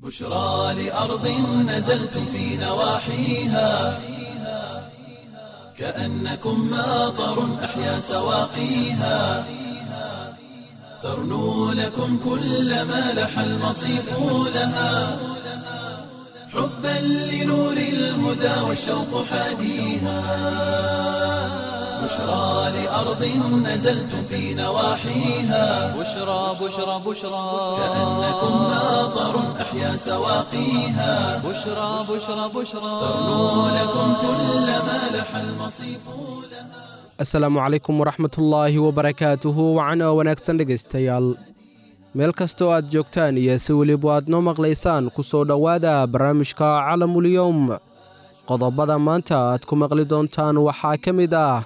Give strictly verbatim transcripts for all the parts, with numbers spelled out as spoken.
بشرى لأرض نزلتم في نواحيها، كأنكم ماطر أحيا سواقيها، ترنو لكم كل ما لح المصيف لها، حبا لنور الهدى والشوق حاديها، بشرى لأرض نزلتم في نواحيها، بشرى بشرى بشرى، كأنكم ماطر أحيا سواقيها، بشرى بشرى بشرى، ترنو لكم كل ما لح المصيف لها. Asalaamu calaykum waraxmatullaahi wabarakaatuhu. Wacan oo wanaagsan dhegaystayaal, meel kastoo aad joogtaan iyo si weliba aad noo maqlaysaan, ku soo dhowaada barnaamijka Calamulyowm. Qodobada maanta aad ku maqli doontaan waxaa ka mid ah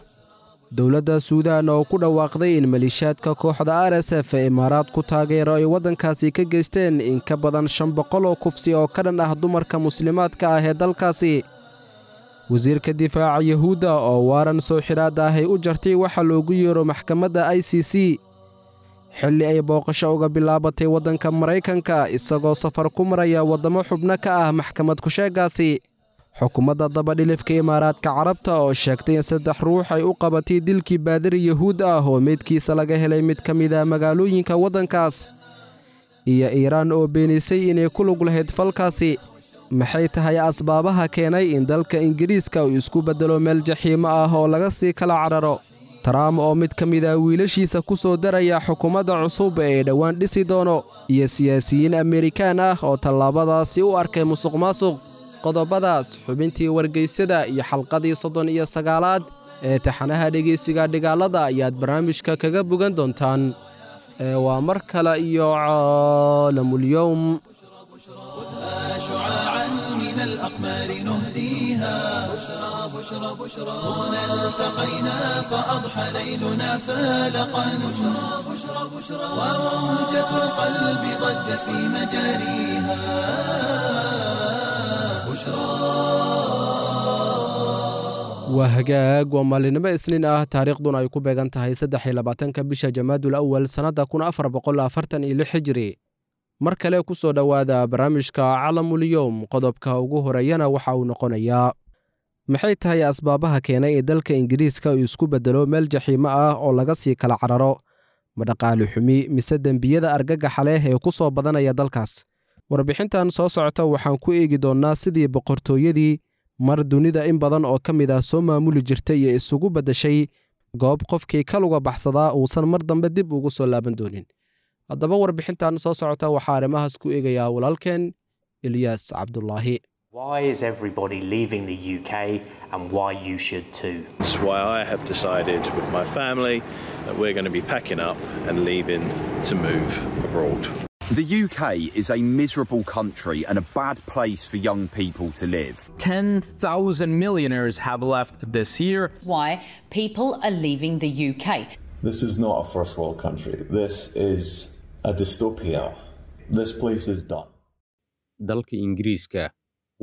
dowladda Suudaan oo ku dhawaaqday in maliishaadka kooxda R S F ee Imaaraad ku taageero ay waddankaasi ka geysteen in ka badan shan boqol oo kufsi oo ka dhan ah dumarka muslimaadka ah ee dalkaasi. Wasiirka difaaca Yahuudda oo waaran soo xidhaad ah ay u jartay waxaa loogu yeero maxkamadda I C C, xilli ay booqasho uga bilaabatay waddanka Maraykanka, isagoo safar ku maraya waddamo xubno ka ah maxkamad ku-sheegaasi. Xukuumadda dabadhilifka Imaaraadka Carabta oo sheegtay in saddex ruux ay u qabatay dilkii baadari Yahuud ah oo meydkiisa laga helay mid ka mid ah magaalooyinka waddankaas, iyo Iiraan oo beenisay inay ku lug lahayd falkaasi. Maxay tahay asbaabaha keenay in dalka Ingiriiska uu isku beddelo meel jaxiimo ah oo laga sii kala cararo? Trump oo mid ka mid ah wiilashiisa ku soo daraya xukuumadda cusub ee dhowaan dhisi doono, iyo siyaasiyiin Amerikaan ah oo tallaabadaasi u arkay musuq maasuq. Qodobadaas, xubintii wargeysyada iyo xalqadii soddon iyo sagaalaad ee taxanaha dhegaysiga dhigaalada ayaad barnaamijka kaga bogan doontaan. Ee waa mar kale iyo Caalamulyowm. شعاعا من الأقمار نهديها، بشرى بشرى بشرى، هنا التقينا فأضحى ليلنا فالقا، بشرى بشرى بشرى، وموجة القلب ضجت في مجاريها. بشرى. Waa hagaag, waa maalinimo Isniin ah, taariikhduna ay ku beegan tahay saddex iyo labaatanka bisha Jamaadul Awal sannadda kun afar boqol afartan iyo lix hijri. Mar kale ku soo dhowaada barnaamijka Calamulyowm. Qodobka ugu horeeyana waxa uu noqonayaa: maxay tahay asbaabaha keenay ee dalka Ingiriiska uu isku beddelo meel jaxiimo ah oo laga sii kala cararo? Ma dhaqaale xumi mise dembiyada argagaxa leh ee ku soo badanaya dalkaas? Warbixintan soo socota waxaan ku eegi doonnaa sidii boqortooyadii mar dunida in badan oo ka mid ah soo maamuli jirtay iyo isugu beddeshay goob qofkii ka luga baxsadaa uusan mar dambe dib ugu soo laaban doonin. Haddaba warbixintan soo socota waxaa arrimahaas ku eegayaa walaalkeen Ilyaas Cabdulaahi. Why is everybody leaving the U K and why you should too? That's why I have decided with my family that we're going to be packing up and leaving to move abroad. The U K is a miserable country and a bad place for young people to live. ten thousand millionaires have left this year. Why people are leaving the U K. This is not a first world country. This is a dystopia. This place is done. Dalka Ingiriiska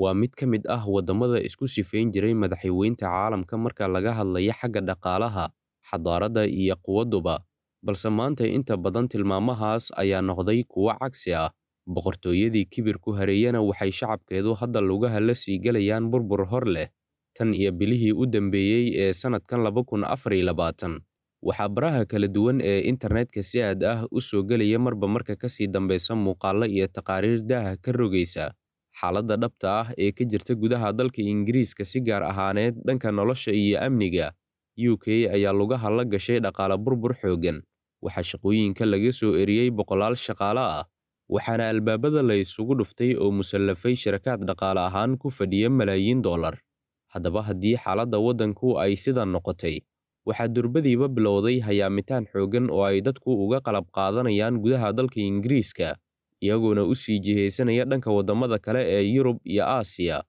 waa mid ka mid ah waddamada isku sifayn jiray madaxweynta caalamka marka laga hadlayo xagga dhaqaalaha, xadaaradda iyo quwadduba, balse maanta inta badan tilmaamahaas ayaa noqday kuwo cagsi ah. Boqortooyadii kibirku hareeyana waxay shacabkeedu hadda lugaha la sii galayaan burbur hor leh. Tan iyo bilihii u dambeeyey ee sannadkan laba kun afar iyo labaatan, waxaa baraha kala duwan ee internetka si aad ah u soo gelaya marba marka ka sii dambeysa muuqaallo iyo taqaariir daaha ka rogaysa xaaladda dhabta ah ee ka jirta gudaha dalka Ingiriiska, si gaar ahaaneed dhanka nolosha iyo amniga. U K ayaa lugaha la gashay dhaqaale burbur xooggan. Waxaa shaqooyinka laga soo eriyey boqolaal shaqaale ah, waxaana albaabada la isugu dhuftay oo musallafay shirkad dhaqaale ahaan ku fadhiya malaayiin dollar. Haddaba haddii xaaladda waddanku ay sidan noqotay, waxaa durbadiiba bilowday hayaamitaan xooggan oo ay dadku uga qalab qaadanayaan gudaha dalka Ingiriiska, iyagoona u sii jihaysanaya dhanka waddamada kale ee Yurub iyo Aasiya.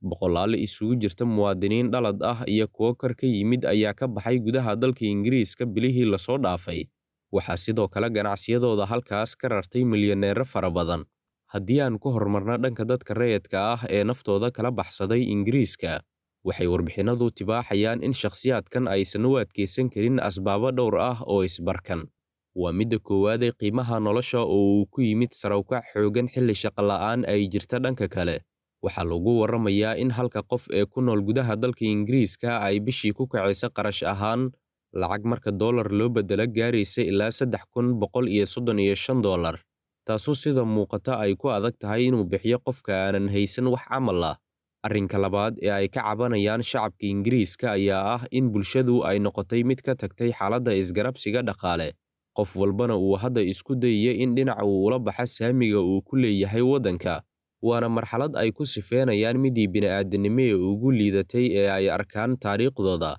Boqolaal isugu jirta muwaadiniin dhalad ah iyo kuwo kor ka yimid ayaa ka baxay gudaha dalka Ingiriiska bilihii lasoo dhaafay. Waxaa sidoo kale ganacsiyadooda halkaas ka rartay milyaneero fara badan. Haddii aan ku horumarno dhanka dadka rayidka ah ee naftooda kala baxsaday Ingiriiska, waxay warbixinadu tibaaxayaan in shakhsiyaadkan aysan u adkeysan karin asbaabo dhowr ah oo isbarkan. Waa midda koowaad ee qiimaha nolosha oo uu ku yimid sare u kac xooggan xilli shaqo la'aan ay jirta. Dhanka kale, waxaa lagu waramayaa in halka qof ee ku nool gudaha dalka Ingiriiska ay bishii ku kacayso qarash ahaan lacag marka dollar loo beddelo gaaraysa ilaa saddex kun boqol iyo soddon iyo shan dollar, taasoo sida muuqata ay ku adag tahay inuu bixiyo qofka aanan haysan wax camal ah. Arrinka labaad ee ay ka cabanayaan shacabka Ingiriiska ayaa ah in bulshadu ay noqotay mid ka tagtay xaaladda isgarabsiga dhaqaale, qof walbana uu hadda isku dayayo in dhinac uu ula baxo saamiga uu ku leeyahay waddanka. Waana marxalad ay ku sifeynayaan midii bini'aadanimo ee ugu liidatay ee ay arkaan taariikhdooda.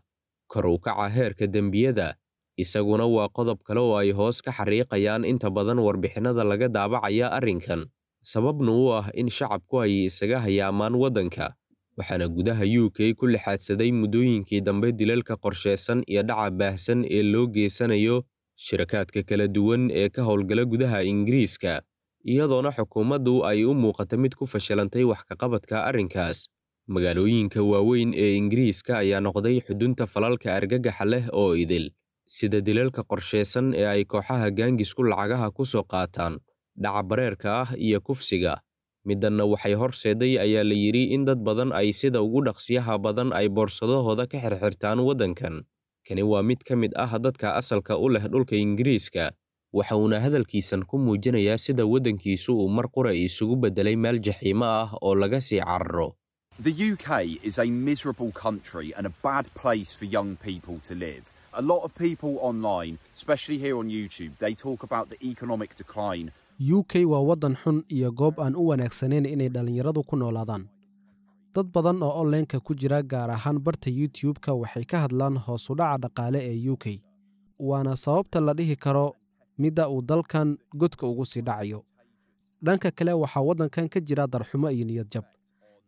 Kor u kaca heerka dembiyada isaguna waa qodob kale oo ay hoos ka xariiqayaan inta badan warbixinnada laga daabacaya arrinkan, sababna u ah in shacabku ay isaga hayaamaan waddanka. Waxaana gudaha U K ku lixaadsaday muddooyinkii dambe dilalka qorsheysan iyo dhaca baahsan ee loo geysanayo shirakaadka kala duwan ee ka howlgala gudaha Ingiriiska, iyadoona xukuumaddu ay u muuqata mid ku fashilantay wax ka qabadka arrinkaas. Magaalooyinka waaweyn ee Ingiriiska ayaa noqday xudunta falalka argagaxa leh oo idil, sida dilalka qorsheysan ee ay kooxaha gaangisku lacagaha ku soo qaataan, dhaca bareerka ah iyo kufsiga. Middanna waxay horseeday ayaa la yidhi in dad badan ay sida ugu dhaqsiyaha badan ay boorsadahooda ka xirxirtaan waddankan. Kani waa mid ka mid ah dadka asalka u leh dhulka Ingiriiska, waxa uuna hadalkiisan ku muujinayaa sida waddankiisu uu mar qura isugu beddelay meel jaxiimo ah oo laga sii cararo. The U K is a miserable country and a bad place for young people to live. A lot of people online, especially here on YouTube, they talk about the economic decline. U K waa waddan xun iyo goob aan u wanaagsanayn inay dhallinyaradu ku noolaadaan. Dad badan oo online-ka ku jira, gaar ahaan barta YouTube-ka, waxay ka hadlaan hoos u dhaca dhaqaale ee U K. Waana sababta la dhihi karo midda uu dalkan godka ugu sii dhacayo. Dhanka kale, waxaa waddankan ka jira darxumo iyo niyad jab,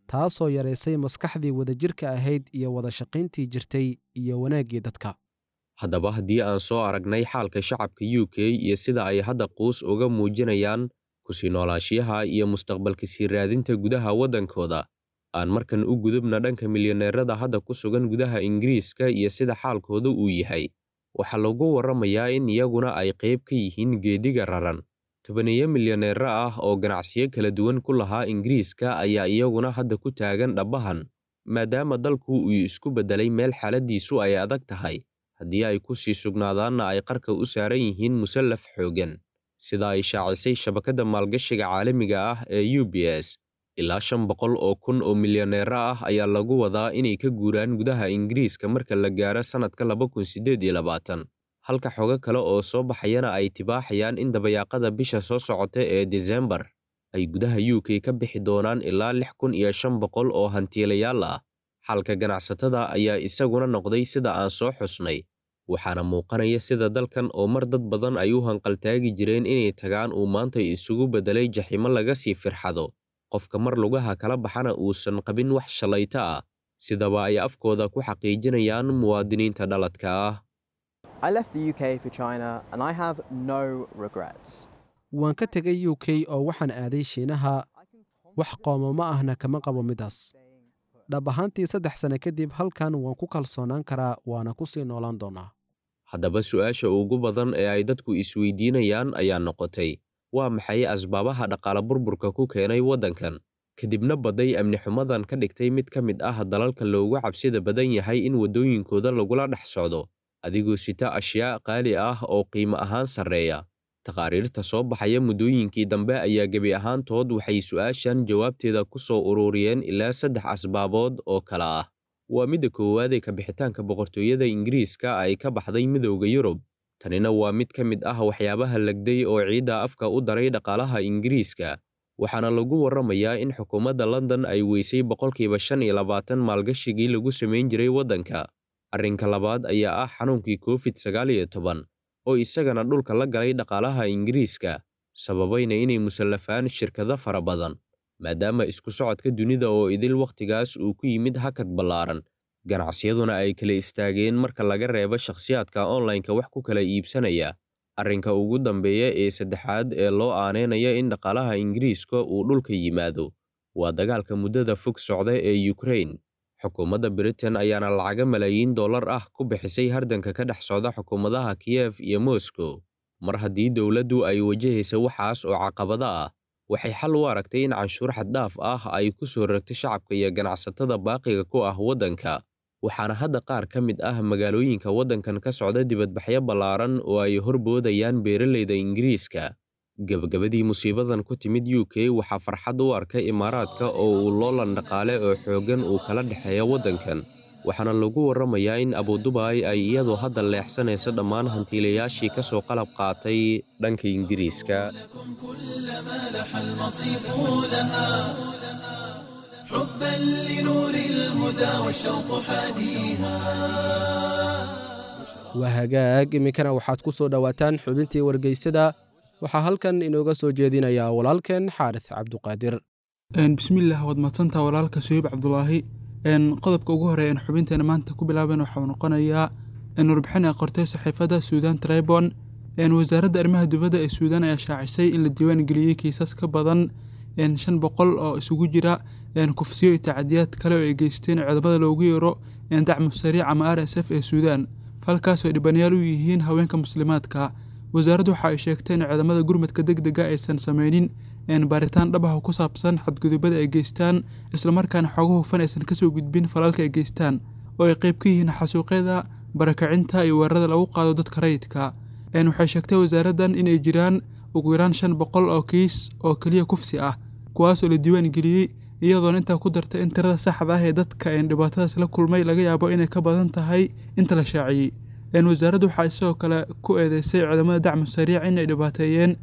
taasoo yaraysay maskaxdii wadajirka ahayd iyo wada shaqayntii jirtay iyo wanaaggii dadka. Haddaba haddii aan soo aragnay xaalka shacabka U K iyo sida ay hadda quus uga muujinayaan kusii noolaashiyaha iyo mustaqbalka sii raadinta gudaha waddankooda, aan markan u gudubna dhanka milyaneerada hadda ku sugan gudaha Ingiriiska iyo sida xaalkooda uu yahay. Waxaa lagu waramayaa in iyaguna ay qayb ka yihiin geediga raran. Tobaneeyo milyaneero ah oo ganacsiyo kala duwan ku lahaa Ingiriiska ayaa iyaguna hadda ku taagan dhabbahan, maadaama dalku uu isku beddelay meel xaaladiisu ay adag tahay. Haddii ay ku sii sugnaadaanna ay qarka u saaran yihiin musallaf xooggan, sida ay shaacisay shabakadda maalgashiga caalamiga ah ee U B S. Ilaa shan boqol oo kun oo milyaneero ah ayaa lagu wadaa inay ka guuraan gudaha Ingiriiska marka la gaaro sanadka laba kun siddeed iyo labaatan, halka xogo kale oo soo baxayana ay tibaaxayaan in dabayaaqada bisha soo socota ee Diseembar ay gudaha U K ka bixi doonaan ilaa lix kun iyo shan boqol oo hantiilayaal ah. Xalka ganacsatada ayaa isaguna noqday sida aan soo xusnay, waxaana muuqanaya sida dalkan oo mar dad badan ay u hanqaltaagi jireen inay tagaan uu maanta isugu beddelay jaxiimo laga sii firxado, qofka mar lugaha kala baxana uusan qabin wax shalayto ah, sidaba ay afkooda ku xaqiijinayaan muwaadiniinta dhaladka ah. I left the U K for China and I have no regrets. Waan ka tegay U K oo waxaan aaday Shiinaha, wax qoomamo ma ahna kama qabo midaas. Dhab ahaantii saddex sano kadib halkan waan ku kalsoonaan karaa, waana ku sii noolaan doonaa. Haddaba su'aasha ugu badan ee ay dadku isweydiinayaan ayaa noqotay, waa maxay asbaabaha dhaqaale burburka ku keenay waddankan? Kadibna baday amni xumadan ka dhigtay mid ka mid ah dalalka loogu cabsida badan yahay in waddooyinkooda lagula dhex socdo, adigoo sita ashyaa qaali ah oo qiimo ahaan sarreeya. Taqaariirta soo baxaya muddooyinkii dambe ayaa gebi ahaantood waxay su'aashan jawaabteeda ku soo ururiyeen ilaa saddex asbaabood oo kala ah. Waa midda koowaad ee ka bixitaanka boqortooyada Ingiriiska ay ka baxday midowda Yurub. Tanina waa mid ka mid ah waxyaabaha lagday oo ciidda afka u daray dhaqaalaha Ingiriiska. Waxaana lagu waramayaa in xukuumadda London ay weysay boqolkiiba shan iyo labaatan maalgashigii lagu samayn jiray waddanka. Arrinka labaad ayaa ah xanuunkii Covid sagaal iyo toban oo isagana dhulka la galay dhaqaalaha Ingiriiska, sababayna inay musallafaan shirkado fara badan, maadaama isku socodka dunida oo idil wakhtigaas uu ku yimid hakad ballaaran, ganacsiyaduna ay kala istaageen marka laga reebo shakhsiyaadka online-ka wax ku kala iibsanaya. Arrinka ugu dambeeya ee saddexaad ee loo aaneynaya in dhaqaalaha Ingiriiska uu dhulka yimaado waa dagaalka muddada fog socda ee Ukraine. Xukuumadda Britain ayaana lacaga malaayiin dollar ah ku bixisay hardanka ka dhex socda xukuumadaha Kiev iyo Moscow. Mar haddii dowladdu ay wajahaysa waxaas oo caqabada ah, waxay xal u aragtay in canshuur xad-dhaaf ah ay ku soo rogto shacabka iyo ganacsatada baaqiga ku ah waddanka. Waxaana hadda qaar ka mid ah magaalooyinka waddankan ka socda dibadbaxyo ballaaran oo ay horboodayaan beeralayda Ingiriiska. Gabagabadii musiibadan ku timid U K waxaa farxad u arkay Imaaraadka oo uu loolan dhaqaale oo xooggan uu kala dhexeeya waddankan. Waxaana lagu warramayaa in Abu Dubai ay iyadu hadda leexsanayso dhammaan hantiilayaashii ka soo qalab qaatay dhanka Ingiriiska. حبا لنور الهدى والشوق حاديها. Waa hagaag, iminkana waxaad ku soo dhowaataan xubintii wargeysada. Waxaa halkan inooga soo jeedinayaa walaalkeen Xaaris Cabduqaadir. Bismillaah, waad mahadsantaha walaalka Suhayb Cabdulaahi. Qodobka ugu horeeya een xubinteena maanta ku bilaaban waxaa noqonayaa warbixin ay qortay saxiifadda Suudaan Tribune. Wasaaradda arrimaha dibadda ee Suudaan ayaa shaacisay in la diiwaan geliyey kiisas ka badan shan boqol oo isugu jira kufsiyo iyo tacadiyaad kale oo ay geysteen codobada loogu yeero dacmu sariic ama R S F ee Suudaan, falkaas oo dhibanayaal u yihiin haweenka muslimaadka. Wasaaraddu waxa ay sheegtay in ciidamada gurmadka degdega aysan sameynin baaritaan dhab ah oo ku saabsan xadgudubada ay geystaan, islamarkaana xogo hufan aysan kasoo gudbin falalka ay geystaan oo ay qayb ka yihiin xasuuqyada, barakacinta iyo weerarada lagu qaado dadka rayidka. Waxay sheegtay wasaaraddan in ay jiraan ugu yaraan shan boqol oo kiis oo keliya kufsi ah, kuwaas oo la diiwaan geliyey, iyadoona intaa ku dartay in tirada saxda ah ee dadka dhibaatadaas la kulmay laga yaabo inay ka badan tahay inta la shaaciyey. Wasaaraddu waxay sidoo kale ku eedeysay ciidamada dacmu sariic in ay dhibaateeyeen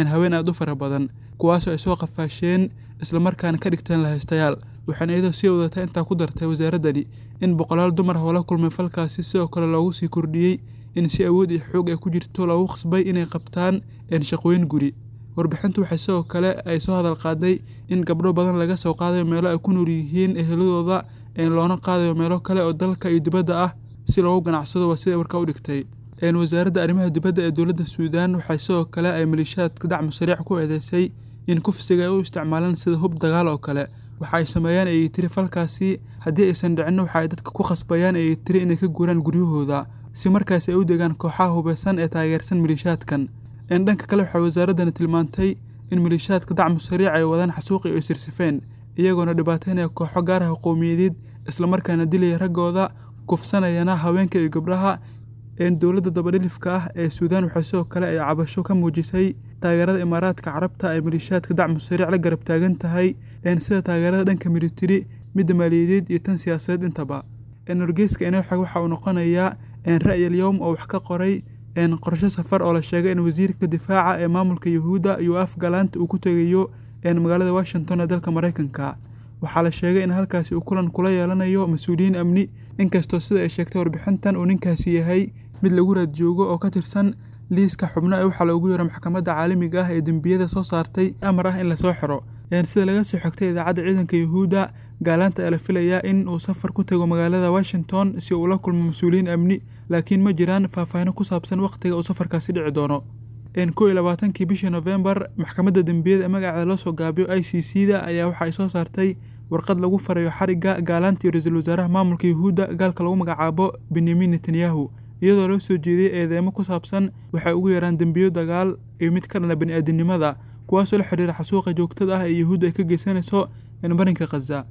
haween aad u fara badan, kuwaasoo ay soo qafaasheen islamarkaana ka dhigteen lahaystayaal. Waxaana iyadoo sii wadata intaa ku dartay wasaaraddani in boqolaal dumar ah oo la kulmay falkaasi sidoo kale loogu sii kordhiyey in si awood iyo xoog ay ku jirto loogu khasbay inay qabtaan shaqooyin guri. Warbixintu waxay sidoo kale ay soo hadal qaaday in gabdho badan laga soo qaadayo meelo ay ku nool yihiin eheladooda, loona qaadayo meelo kale oo dalka iyo dibadda ah si loogu ganacsado, waa sida warkaa u dhigtay. Wasaaradda arrimaha dibadda ee dowladda Suudaan waxay sidoo kale ay maleeshiyaadka dacmu sariic ku eedeysay in kufsiga ay u isticmaalaan sida hub dagaal oo kale. Waxa ay sameeyaan ayay tiri falkaasi haddii aysan dhicin waxa ay dadka ku khasbayaan ayay tiri inay ka guuraan guryahooda si markaasi ay u degaan kooxaha hubeysan ee taageersan maleeshiyaadkan. Dhanka kale waxay wasaaraddani tilmaantay in maleeshiyaadka dacmu sariic ay wadaan xasuuqi ay sirsifeen, iyagoona dhibaateynaya kooxo gaar ah qowmiyadeed, islamarkaana dilaya raggooda, kufsanayana haweenka iyo gabdhaha. Dowladda dabadhilifka ah ee Suudaan waxay sidoo kale ay cabasho ka muujisay taageerada Imaaraadka Carabta ay maleeshiyaadka dacmu sariic la garab taagan tahay, sida taageerada dhanka militari, midda maaliyadeed iyo tan siyaasadeed intaba. Wargeyska inoo xig waxa uu noqonayaa Ra'yi al-Yawm oo wax ka qoray qorshe safar oo la sheegay in wasiirka difaaca ee maamulka Yuhuudda Yoav Gallant uu ku tegayo magaalada Washington ee dalka Mareykanka. Waxaa la sheegay in halkaasi uu kulan kula yeelanayo mas-uuliyiin amni, inkastoo sida ay sheegtay warbixintan uu ninkaasi yahay mid lagu raad joogo oo ka tirsan liiska xubno ee waxaa loogu yeero maxkamadda caalamiga ah ee dembiyada soo saartay amar ah in lasoo xiro. Sida laga soo xigtay idaacadda ciidanka Yuhuudda, Gallant ayaa la filayaa in uu safar ku tago magaalada Washington si uu ula kulmo mas-uuliyiin amni, laakiin ma jiraan faahfaahin ku saabsan waqtiga uu safarkaasi dhici doono. Kow iyo labaatankii bishii Novembar, maxkamadda dembiyada ee magaceeda loo soo gaabiyo I C C da ayaa waxa ay soo saartay warqad lagu farayo xarigga Gallant iyo ra-iisul wasaaraha maamulka Yuhuudda gaalka lagu magacaabo Benjamin Netanyahu, iyadoo loo soo jeediyey eedeymo ku saabsan waxay ugu yaraan dembiyo dagaal iyo mid ka dhana bini'aadanimada, kuwaasoo la xiriira xasuuqa joogtada ah ee Yuhuudda ay ka geysanayso marinka Khaza.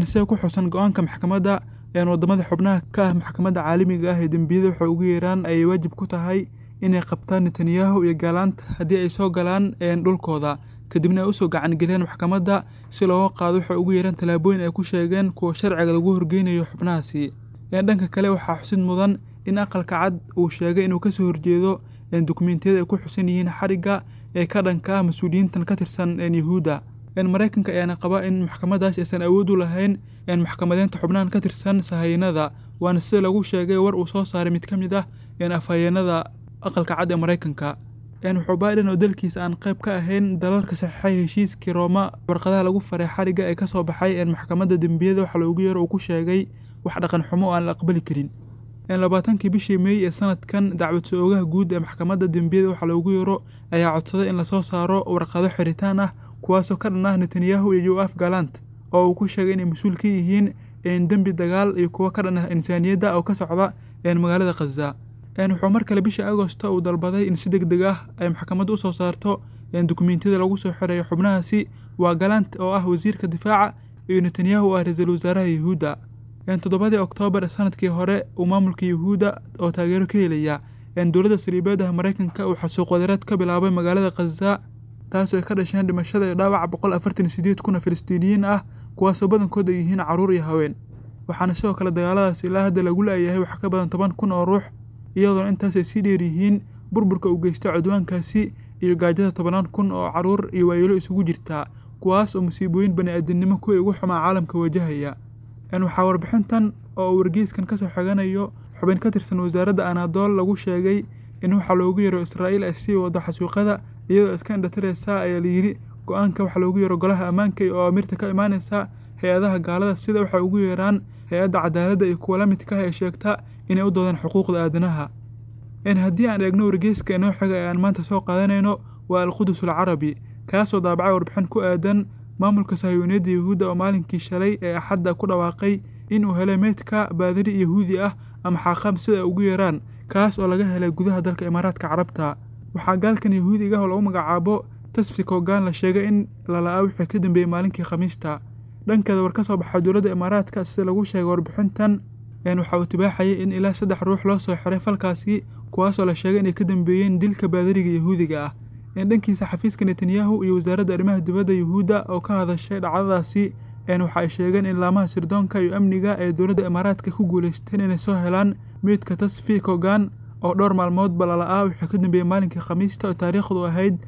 Sida ku xusan go'aanka maxkamadda, waddamada xubnaha ka ah maxkamadda caalamiga ah ee dembiyada waxay ugu yeeraan ayay waajib ku tahay inay qabtaan Netanyahu iyo Gallant haddii ay soo galaan dhulkooda, kadibna ay usoo gacan geliyaan maxkamadda si looga qaado waxay ugu yeeraan tallaabooyin ay ku sheegeen kuwa sharciga lagu horgeynayo xubnahaasi. Dhanka kale waxaa xusid mudan in aqalka cad uu sheegay inuu kasoo horjeedo dukumeentiyada ay ku xusan yihiin xarigga ee ka dhanka ah mas-uuliyiintan ka tirsan Yuhuudda. Mareykanka ayaana qaba in maxkamadaas aysan awood u lahayn maxkamadeynta xubnahan ka tirsan sahayanada, waana sida lagu sheegay war uu soo saaray mid ka mid ah afhayeenada aqalka cad ee Mareykanka. Wuxuu Biden oo dalkiisa aan qayb ka ahayn dalalka saxiixay heshiiskii Rooma warqadaha lagu faray xarigga ee kasoo baxay maxkamadda dembiyada waxa loogu yeero uu ku sheegay wax dhaqan xumo oo aan la aqbali karin. Labaatankii bishii May ee sanadkan, dacwad soo-oogaha guud ee maxkamadda dembiyada waxa loogu yeero ayaa codsaday in lasoo saaro warqado xiritaan ah kuwaasoo ka dhan ah Netanyahu iyo Yoav Gallant oo uu ku sheegay inay mas-uul ka yihiin dembi dagaal iyo kuwo ka dhan ah insaaniyadda oo ka socda magaalada Khaza. Wuxuu mar kale bishii Agosto uu dalbaday in si degdeg ah ay maxkamaddu u soo saarto dukumiintiyada lagu soo xirayo xubnahaasi, waa Galant oo ah wasiirka difaaca iyo Netanyahu oo ah ra-iisul wasaaraha Yuhuudda. Toddobadii Oktoobar sanadkii hore uu maamulka Yuhuudda oo taageero ka helaya dowladda saliibeed ah Maraykanka uu xasuuq wadareed ka bilaabay magaalada Khaza, taasoo ay ka dhasheen dhimashada iyo dhaawaca boqol afartan iyo sideed kun oo Filistiiniyiin ah, kuwaasoo badankood ay yihiin carruur iyo haween. Waxaana sidoo kale dagaaladaas ilaa hadda lagu laayahay wax ka badan toban kun oo ruux, iyadoona intaas ay sii dheer yihiin burburka uu geystay cudwaankaasi iyo gaajada tobanaan kun oo carruur iyo waayeelo isugu jirta, kuwaas oo musiibooyin bani'aadamnimo kuwii ugu xumaa caalamka wajahaya. Waxaa warbixintan oo uu wargeyskan ka soo xiganayo xubin ka tirsan wasaaradda Anadol lagu sheegay in waxa loogu yeero Israa'iil ay sii wado xasuuqyada iyadoo iska indhatiraysa, ayaa la yidhi, go'aanka waxa loogu yeero golaha ammaanka iyo awaamirta ka imaanaysa hay-adaha gaalada, sida waxay ugu yeeraan hay-adda cadaaladda iyo kuwa la midka ah ee sheegta inay u doodaan xuquuqda aadanaha. Haddii aan eegno wargeyska inoo xiga ee aan maanta soo qaadanayno waa Alqudus Alcarabi, kaasoo daabacay warbixin ku aadan maamulka sahiyuuniyadda Yuhuudda oo maalinkii shalay ee Axadda ku dhawaaqay in uu helay meydka baadari Yahuudi ah ama xaaqam sida ay ugu yeeraan, kaas oo laga helay gudaha dalka Imaaraadka Carabta. Waxaa gaalkan Yahuudiga ah oo lagu magacaabo Tasfi Kogan la sheegay in la la'aa wixii ka dambeeyey maalinkii Khamiista. Dhankeeda war ka soo baxay dowladda Imaaraadka sida lagu sheegay warbixintan waxa uu tibaaxayay in ilaa saddex ruux loo soo xiray falkaasi, kuwaasoo la sheegay inay ka dambeeyeen dilka baadariga Yahuudiga ah. Dhankiisa xafiiska Netanyahu iyo wasaaradda arrimaha dibadda Yuhuudda oo ka hadashay dhacdadaasi waxa ay sheegeen in laamaha sirdoonka iyo amniga ee dowladda Imaaraadka ku guuleysteen inay soo helaan meydka Tasfi Kogan oo dhowr maalmoodba lala'aa wixii ka dambeeyey maalinkii Khamiista oo taariikhdu ahayd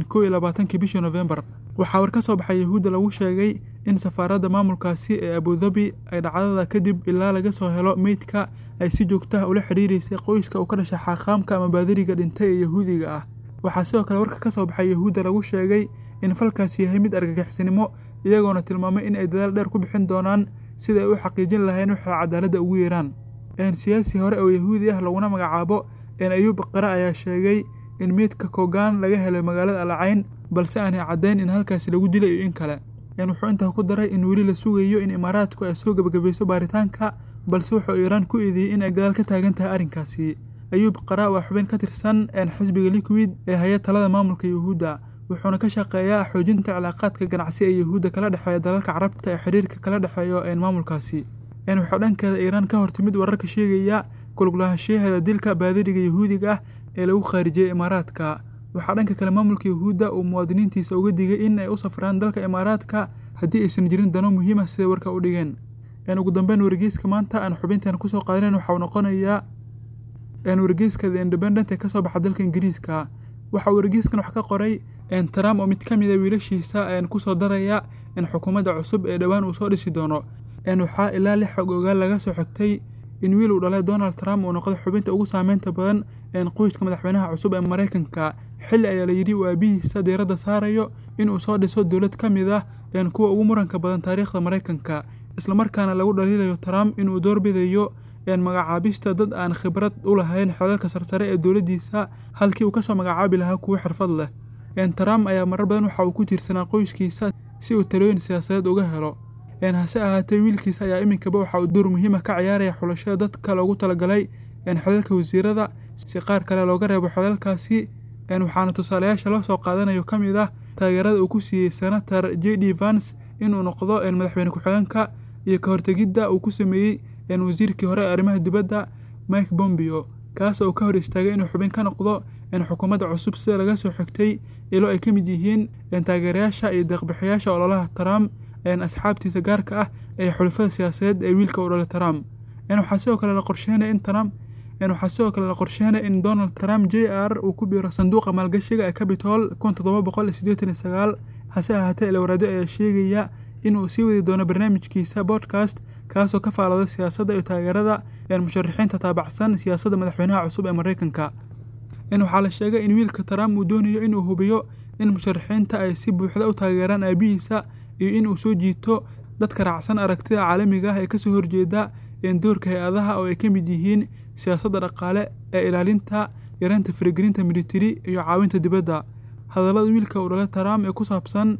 kow iyo labaatankii bishii Novembar. Waxaa war ka soo baxay Yuhuudda lagu sheegay in safaaradda maamulkaasi ee Abu Dhabi ay dhacdada kadib ilaa laga soo helo meydka ay si joogto ah ula xiriirisay qoyska uu ka dhashay xaaqaamka ama baadariga dhintay ee Yahuudiga ah. Waxaa sidoo kale warka ka soo baxay Yuhuudda lagu sheegay in falkaasi yahay mid argagixisnimo, iyagoona tilmaamay in ay dadaal dheer ku bixin doonaan sidii ay u xaqiijin lahayn waxay cadaaladda ugu yeeraan. Siyaasi hore oo Yahuudi ah laguna magacaabo Ayuub Qara ayaa sheegay in meydka Kogan laga helay magaalada Al Cayn, balse aanay caddayn in halkaasi lagu dilay iyo in kale. Wuxuu intaa ku daray in weli la sugayo in Imaaraadku ay soo gabagabayso baaritaanka, balse wuxuu Iiraan ku eedeeyey in ay gadaal ka taagan tahay arrinkaasi. Ayuub Qara waa xubin ka tirsan xisbiga Liquid ee haya talada maamulka Yuhuudda, wuxuuna ka shaqeeyaa xoojinta cilaaqaadka ganacsi ee Yuhuudda kala dhexeeya dalalka Carabta ee xiriirka kala dhexeeyo maamulkaasi. Waxaa dhankeeda Iiraan ka hortimid wararka sheegaya ku lug lahaanshaheeda dilka baadariga Yahuudiga ah ee lagu khaarijiyey Imaaraadka. Waxaa dhanka kale maamulka Yuhuudda uu muwaadiniintiisa uga digay in ay u safraan dalka Imaaraadka haddii aysan jirin dano muhiim ah siday warka u dhigeen. Ugu dambeyn wargeyska maanta aan xubintan kusoo qaadanayn waxa uu noqonayaa wargeyska The Independent ee kasoo baxa dalka Ingiriiska. Waxa uu wargeyskan wax ka qoray Trump oo mid ka mid ah wiilashiisa kusoo daraya xukuumadda cusub ee dhowaan uu soo dhisi doono. Waxaa ilaa lix xog ogaal laga soo xigtay in wiil uu dhalay Donald Trump uu noqday xubinta ugu saameynta badan qoyska madaxweynaha cusub ee Maraykanka. Xilli ayaa la yidhi uu aabihiisa diiradda saarayo in uu soo dhiso dowlad ka mid ah kuwa ugu muranka badan taariikhda Maraykanka, islamarkaana lagu dhaliilayo Trump inuu doorbidayo magacaabista dad aan khibrad u lahayn xilalka sarsare ee dowladdiisa halkii uu kasoo magacaabi lahaa kuwo xirfad leh. Trump ayaa marar badan waxa uu ku tiirsanaa qoyskiisa si uu talooyin siyaasadeed uga helo. Hase ahaatee wiilkiisa ayaa iminkaba waxa uu door muhiim ah ka ciyaaraya xulashada dadka loogu talagalay xilalka wasiirada si qaar kale looga reebo xilalkaasi. Waxaana tusaalayaasha loo soo qaadanayo ka mid ah taageerada uu ku siiyey Senator J D Vance inuu noqdo madaxweyne ku-xigeenka iyo ka hortegidda uu ku sameeyey wasiirkii hore ee arrimaha dibadda Mike Pompeo, kaas oo ka hor istaagay inuu xubin ka noqdo xukuumadda cusub sida laga soo xigtay ilo ay ka mid yihiin taageerayaasha iyo deeq-bixiyaasha ololaha Trump, asxaabtiisa gaarka ah ee xulafada siyaasadeed ee wiilka u dhalay Trump. Waxaa sidoo kale la qorsheynaya in Trump waxaa sidoo kale la qorsheynaya in Donald Trump J R uu ku biiro sanduuqa maalgashiga ee Capitol kun toddoba boqol siddeetan iyo sagaal. Hase ahaatee ilowraadyo ayaa sheegaya in uu sii wadi doono barnaamijkiisa podcast kaasoo ka faalooda siyaasadda iyo taageerada musharaxiinta taabacsan siyaasadda madaxweynaha cusub ee Maraykanka. Waxaa la sheegay in wiilka Trump uu doonayo inuu hubiyo in musharaxiinta ay si buuxda u taageeraan aabihiisa iyo in uu soo jiito dadka raacsan aragtida caalamiga ah ee kasoo horjeeda doorka hay-adaha oo ay ka mid yihiin siyaasadda dhaqaale ee ilaalinta, yareynta faragelinta militari iyo caawinta dibadda. Hadallada wiilka uu dhalay Trump ee ku saabsan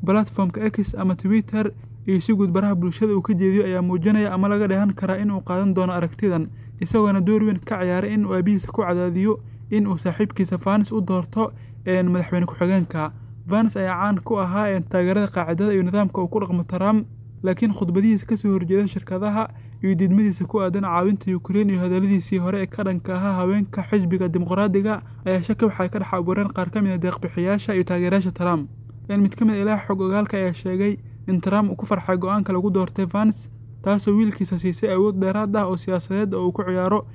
platformka X ama Twitter iyo si guud baraha bulshada uu ka jeediyo ayaa muujinaya ama laga dheehan karaa in uu qaadan doono aragtidan, isagoona door weyn ka ciyaaray in uu aabihiisa ku cadaadiyo in uu saaxiibkiisa Vance u doorto madaxweyne ku-xigeenka. Vance ayaa caan ku ahaa taageerada qaacidada iyo nidaamka uu ku dhaqmo Trump, laakiin khudbadihiisa kasoo horjeeda shirkadaha iyo diidmadiisa ku aadan caawinta Ukraine iyo hadalladiisii hore ee ka dhanka ahaa haweenka xisbiga Dimuqraadiga ayaa shaki waxay ka dhex abuureen qaar ka mid ah deeq-bixiyaasha iyo taageerayaasha Trump. Mid ka mid ah ilaha xog ogaalka ayaa sheegay in Trump uu ku farxay go'aanka lagu doortay Vance, taasoo wiilkiisa siisay awood dheeraad ah oo siyaasadeed oo uu ku ciyaaro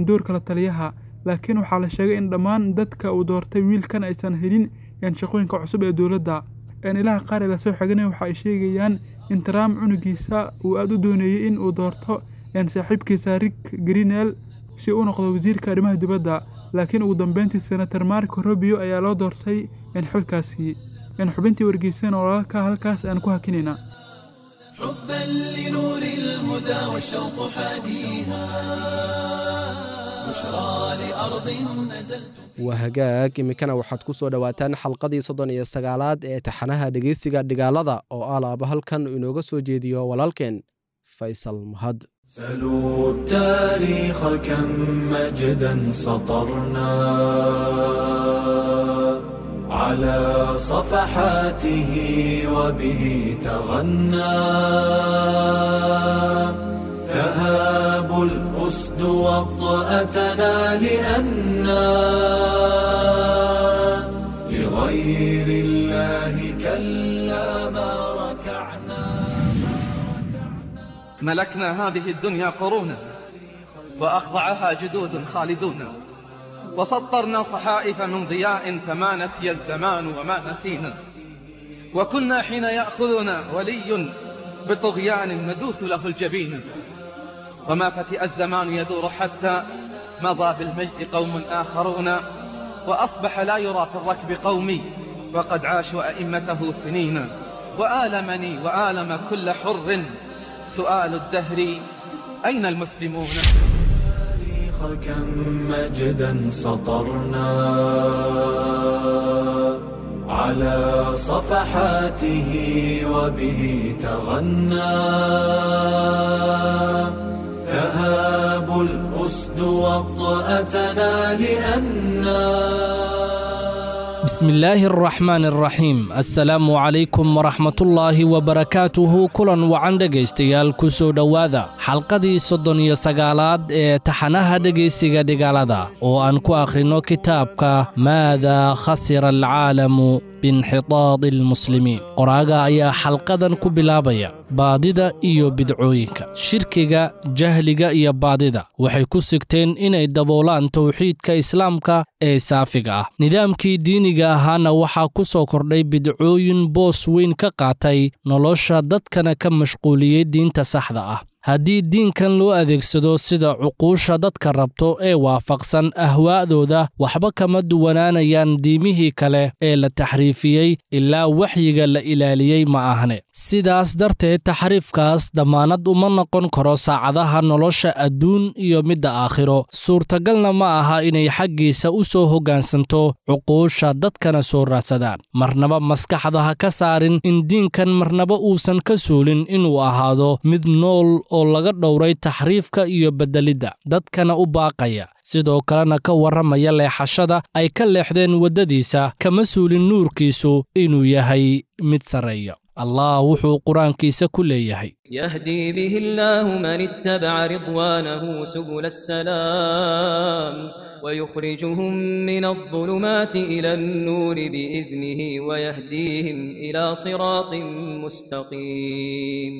doorka la taliyaha. Laakiin waxaa la sheegay in dhammaan dadka uu doortay wiilkan aysan helin shaqooyinka cusub ee dowladda. Ilaha qaar ee lasoo xiganaya waxa ay sheegayaan in Trump cunugiisa uu aad u doonayay in uu doorto saaxiibkiisa Rick Grenell si uu u noqdo wasiirka arrimaha dibadda, laakiin ugu dambeyntii Senator Marco Rubio ayaa loo doortay xilkaasi. Xubintii wargeysan walaalka halkaas aan ku hakinayna. حبا لنور الهدى والشوق حاديها بشرى لأرض نزلت Waa hagaag, iminkana waxaad ku soo dhowaataan xalqadii soddon iyo sagaalaad ee taxanaha dhegeysiga dhigaalada oo alaaba halkan inooga soo jeediyo walaalkeen Faysal Mahad. سلوا التاريخ كم مجدا سطرنا على صفحاته وبه تغنى تهاب الأسد وطأتنا لأنا لغير الله كلا ما ركعنا. ملكنا هذه الدنيا قرونا وأخضعها جدود خالدون، وسطرنا صحائف من ضياء فما نسي الزمان وما نسينا، وكنا حين يأخذنا ولي بطغيان ندوث له الجبين، وما فتئ الزمان يدور حتى مضى بالمجد قوم آخرون، وأصبح لا يرى في الركب قومي وقد عاشوا أئمته سنين، وآلمني وآلم كل حر سؤال الدهر أين المسلمون؟ كم مجدا سطرنا على صفحاته وبه تغنى تهاب الأسد وطأتنا لأنا. بسم الله الرحمن الرحيم. السلام عليكم ورحمة الله وبركاته. Kulan wacan dhegaystayaal, ku soo dhowaada xalqadii soddon iyo sagaalaad ee taxanaha dhegaysiga dhigaalada oo aan ku akhrino kitaabka Maada khasira alcaalamu biinxitaadi almuslimiin. Qoraaga ayaa xalqadan ku bilaabaya baadida iyo bidcooyinka. Shirkiga, jahliga iyo baadida waxay ku sigteen inay daboolaan towxiidka islaamka ee saafiga ah. Nidaamkii diiniga ahaana waxaa ku soo kordhay bidcooyin boos weyn ka qaatay nolosha dadkana ka mashquuliyey diinta saxda ah. Haddii diinkan loo adeegsado sida cuquusha dadka rabto ee waafaqsan ahwaa'dooda, waxba kama duwanaanayaan diimihii kale ee la taxriifiyey ilaa waxyiga la ilaaliyey ma ahne. Sidaas darteed taxriifkaas damaanad uma noqon karo saacadaha nolosha adduun iyo midda aakhiro. Suurtagalna ma aha inay xaggiisa u soo hoggaansanto cuquusha dadkana soo raadsadaan. Marnaba maskaxda ha ka saarin in diinkan marnaba uusan ka suulin inuu ahaado mid nool oo laga dhowray taxriifka iyo beddelidda, dadkana u baaqaya, sidoo kalena ka warramaya leexashada ay ka leexdeen waddadiisa, kama suulin nuurkiisu inuu yahay mid sarreeya. Allah wuxuu qur-aankiisa ku leeyahay: يهدي به الله من اتبع رضوانه سبل السلام ويخرجهم من الظلمات إلى النور بإذنه ويهديهم إلى صراط مستقيم.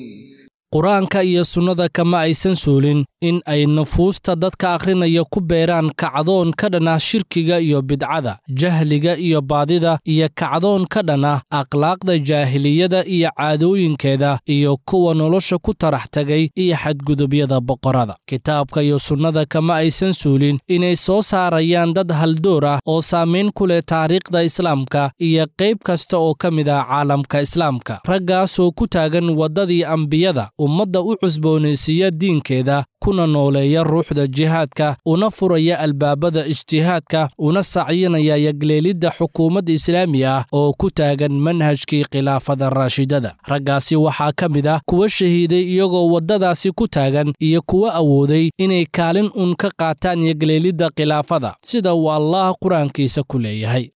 Qur-aanka iyo sunnada kama aysan suulin in ay nufuusta dadka akhrinaya ku beeraan kacdoon ka dhan ah shirkiga iyo bidcada, jahliga iyo baadida, iyo kacdoon ka dhan ah akhlaaqda jaahiliyada iyo caadooyinkeeda iyo kuwa nolosha ku tarax tagay iyo xadgudubyada boqorada. Kitaabka iyo sunnada kama aysan suulin inay soo saarayaan dad haldoor ah oo saamayn ku leh taariikhda islaamka iyo qayb kasta oo ka mid ah caalamka islaamka, raggaasoo ku taagan waddadii ambiyada, ummadda u cusboonaysiiya diinkeeda, kuna nooleeya ruuxda jihaadka, una furaya albaabada ijtihaadka, una sacyinaya yagleelidda xukuumad islaami ah oo ku taagan manhajkii khilaafada raashidada. Raggaasi waxaa ka mid ah kuwa shahiiday iyagoo waddadaasi ku taagan iyo kuwa awooday inay kaalin uun ka qaataan yagleelidda khilaafada, sida uu Allaah qur-aankiisa ku leeyahay.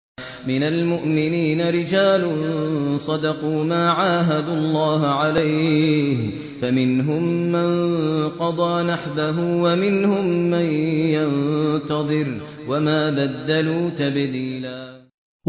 من المؤمنين رجال صدقوا ما عاهدوا الله عليه فمنهم من قضى نحبه ومنهم من ينتظر وما بدلوا تبديلا.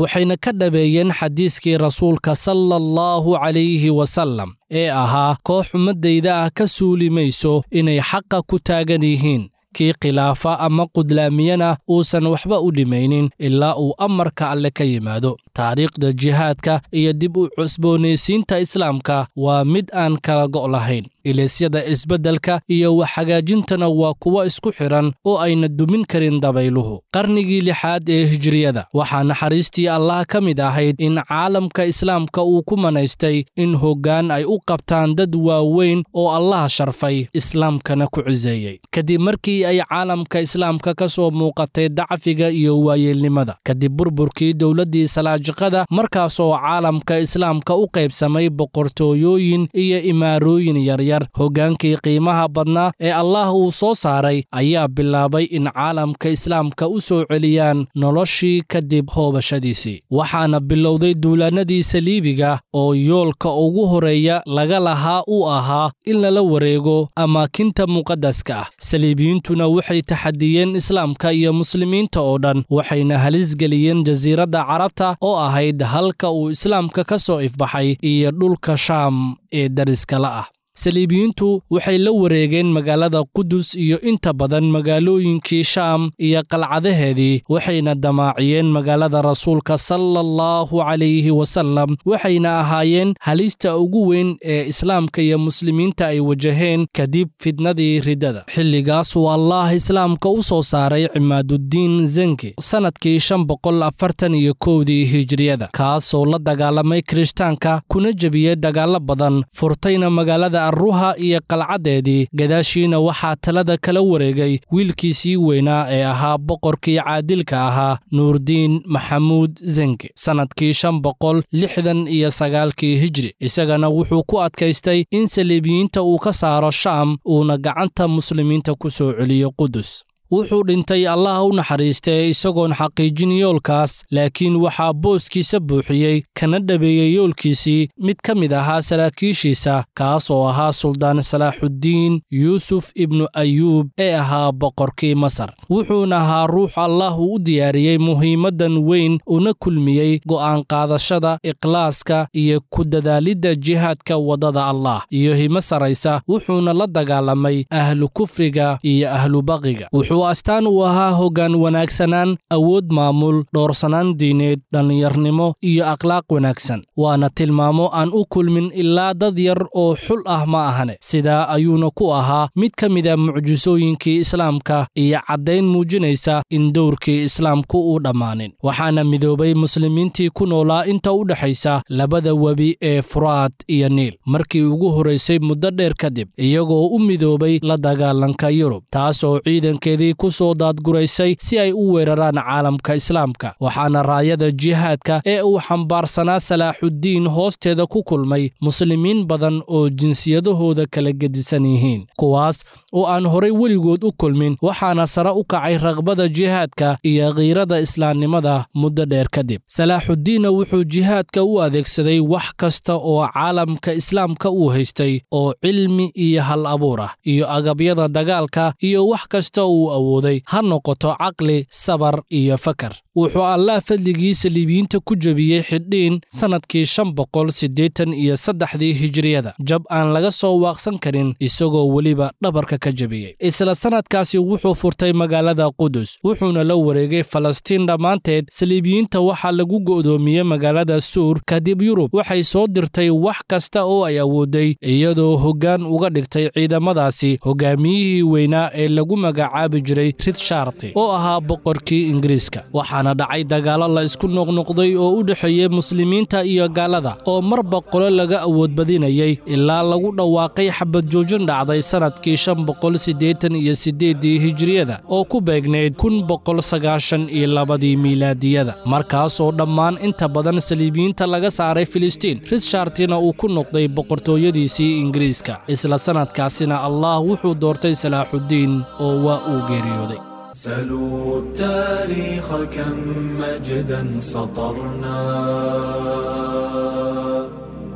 Waxayna ka dhabeeyeen xadiiskii rasuulka sala allahu calayhi wasallam ee ahaa koox ummaddayda ah ka suuli mayso inay xaqa ku taagan yihiin, kii khilaafa ama qudlaamiyana uusan waxba u dhimaynin ilaa uu amarka alle ka yimaado. Taariikhda jihaadka iyo dib u cusboonaysiinta islaamka waa mid aan kala go' lahayn. Ilaysyada isbeddelka iyo wax hagaajintana waa kuwo isku xidhan oo ayna dumin karin dabayluhu. Qarnigii lixaad ee hijriyada waxaa naxariistii Allah ka mid ahayd in caalamka islaamka uu ku manaystay in hoggaan ay u qabtaan dad waaweyn oo Allah sharfay, islaamkana ku ciseeyey. Kadib markii ay caalamka islaamka ka soo muuqatay dacfiga iyo waayeelnimada, kadib burburkii dowladdii Salaajiqada, markaasoo caalamka islaamka u qaybsamay boqortooyooyin iyo imaarooyin yaryar, hoggaankii qiimaha badnaa ee Allah uu soo saaray ayaa bilaabay in caalamka islaamka u soo celiyaan noloshii kadib hoobashadiisii. Waxaana bilowday duulaanadii saliibiga oo yoolka ugu horeeya laga lahaa uu ahaa in lala wareego amaakinta muqaddaska ah. Saliibiyiintuna waxay taxadiyeen islaamka iyo muslimiinta oo dhan, waxayna halis geliyeen jasiiradda Carabta oo ahayd halka uu islaamka ka soo ifbaxay iyo dhulka Shaam ee dariska la ah. Saliibiyiintu waxay la wareegeen magaalada Qudus iyo inta badan magaalooyinkii Shaam iyo qalcadaheedii, waxayna damaaciyeen magaalada rasuulka sala allahu calayhi wasallam, waxayna ahaayeen halista ugu weyn ee islaamka iyo muslimiinta ay wajaheen kadib fitnadii riddada. Xilligaasuu Allah islaamka u soo saaray Cimaaduddiin Zenki sanadkii shan boqol afartan iyo kowdii hijriyada, kaasoo la dagaalamay Kirishtaanka kuna jebiyey dagaallo badan, furtayna magaalada Ruha iyo qalcadeedii. Gadaashiina waxaa talada kala wareegay wiilkiisii weynaa ee ahaa boqorkii caadilka ahaa Nuurdiin Maxamuud Zenki sanadkii shan boqol lixdan iyo sagaalkii hijri. Isagana wuxuu ku adkaystay in saliibiyiinta uu ka saaro Shaam uuna gacanta muslimiinta ku soo celiyo Qudus. Wuxuu dhintay Allah u naxariistay isagoon xaqiijin yoolkaas, laakiin waxaa booskiisa buuxiyey kana dhabeeyey yoolkiisii mid ka mid ahaa saraakiishiisa, kaas oo ahaa Suldaan Salaaxuddiin Yuusuf ibnu Ayuub ee ahaa boqorkii Masar. Wuxuuna ahaa ruux Allah u diyaariyey muhiimaddan weyn, una kulmiyey go'aan qaadashada, ikhlaaska iyo ku dadaalidda jihaadka waddada Allah iyo himo saraysa. Wuxuuna la dagaalamay ahlu kufriga iyo ahlu baqiga. Wuxuu astaan u ahaa hoggaan wanaagsanaan, awood maamul, dhoorsanaan diineed, dhallinyarnimo iyo akhlaaq wanaagsan. Waana tilmaamo aan u kulmin ilaa dad yar oo xul ah ma ahane. Sidaa ayuuna ku ahaa mid ka mid a mucjisooyinkii islaamka iyo caddayn muujinaysa in dowrkii islaamku uu dhammaanin. Waxaana midoobay muslimiintii ku noolaa inta u dhexaysa labada webi ee Furaat iyo Niil markii ugu horeysay muddo dheer kadib, iyagoo u midoobay la dagaalanka Yurub, taasoo ciidankeedii ku soo daadguraysay si ay u weeraraan caalamka islaamka. Waxaana raayada jihaadka ee uu xambaarsanaa Salaaxuddiin hoosteeda ku kulmay muslimiin badan oo jinsiyadahooda kala gedisan yihiin, kuwaas oo aan horay weligood u kulmin. Waxaana sare u kacay raqbada jihaadka iyo khiirada islaamnimada muddo dheer kadib. Salaaxuddiinna wuxuu jihaadka u adeegsaday wax kasta oo caalamka islaamka uu haystay oo cilmi iyo hal abuur ah iyo agabyada dagaalka iyo wax kasta uu awooday, ha noqoto caqli, sabar iyo fakar. Wuxuu Allah fadligii saliibiyiinta ku jebiyey xidhiin sanadkii shan boqol siddeetan iyo saddexdii hijriyada, jab aan laga soo waaqsan karin, isagoo weliba dhabarka ka jebiyey. Isla sanadkaasi wuxuu furtay magaalada Qudus, wuxuuna la wareegay Falastiin dhammaanteed. Saliibiyiinta waxaa lagu go'doomiyey magaalada Suur. Kadib Yurub waxay soo dirtay wax kasta oo ay awooday, iyadoo hoggaan uga dhigtay ciidamadaasi hogaamiyihii weynaa ee lagu magacaabi jiray Richard oo ahaa boqorkii Ingiriiska. Waxaana dhacay dagaalo la isku noqnoqday oo u dhexeeyay muslimiinta iyo gaalada oo marba qolo laga awood badinayay ilaa lagu dhawaaqay xabad joojin dhacday sanadkii shan boqol siddeetan iyo siddeedii hijriyada oo ku beegnayd kun boqol sagaashan iyo labadii miilaadiyada, markaas oo dhammaan inta badan saliibiyiinta laga saaray Filistiin, Richardina uu ku noqday boqortooyadiisii Ingiriiska. Isla sanadkaasina Allah wuxuu doortay Salaaxudiin oo waa uu geeriyooday. سلوا التاريخ كم مجدا سطرنا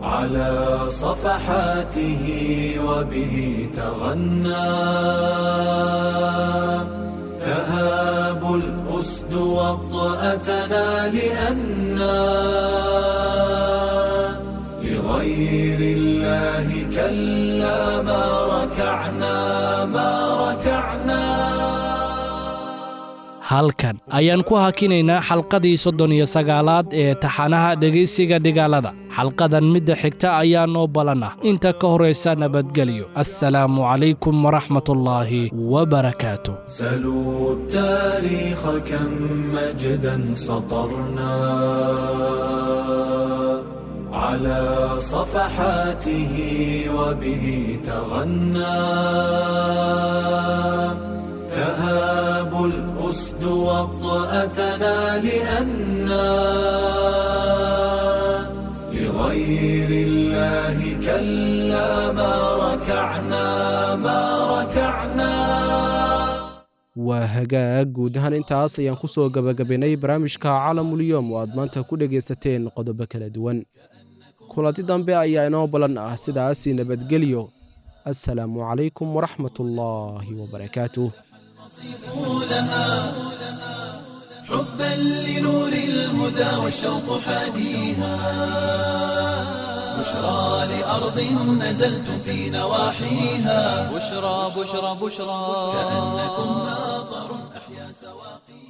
على صفحاته وبه تغنى تهاب الأسد وطأتنا لأنا لغير الله كلا ما ركعنا ما ركعنا. Halkan ayaan ku hakinaynaa xalqadii soddon iyo sagaalaad ee taxanaha dhegaysiga dhigaalada. Xalqadan midda xigta ayaa noo balan ah. Inta ka horraysa nabadgelyo. Assalaamu calaykum waraxmatullaahi wabarakaatu. سلوا التاريخ كم مجدا سطرنا على صفحاته وبه تغنى تهاب الأسد وطأتنا لأنا لغير الله كلا ما ركعنا ما ركعنا. Waa hagaag, guud ahaan intaas ayaan ku soo gabagabaynay barnaamijka Caalamulyoom oo aad maanta ku dhegaysateen qodobo kala duwan. Kulanti dambe ayaa inoo balan ah, sidaasi nabadgelyo. Assalaamu calaykum waraxmatullaahi wabarakaatuh. لها حبا لنور الهدى والشوق حاديها بشرى لأرض نزلت في نواحيها بشرى بشرى بشرى كأنكم ناظر أحيا سواقيها.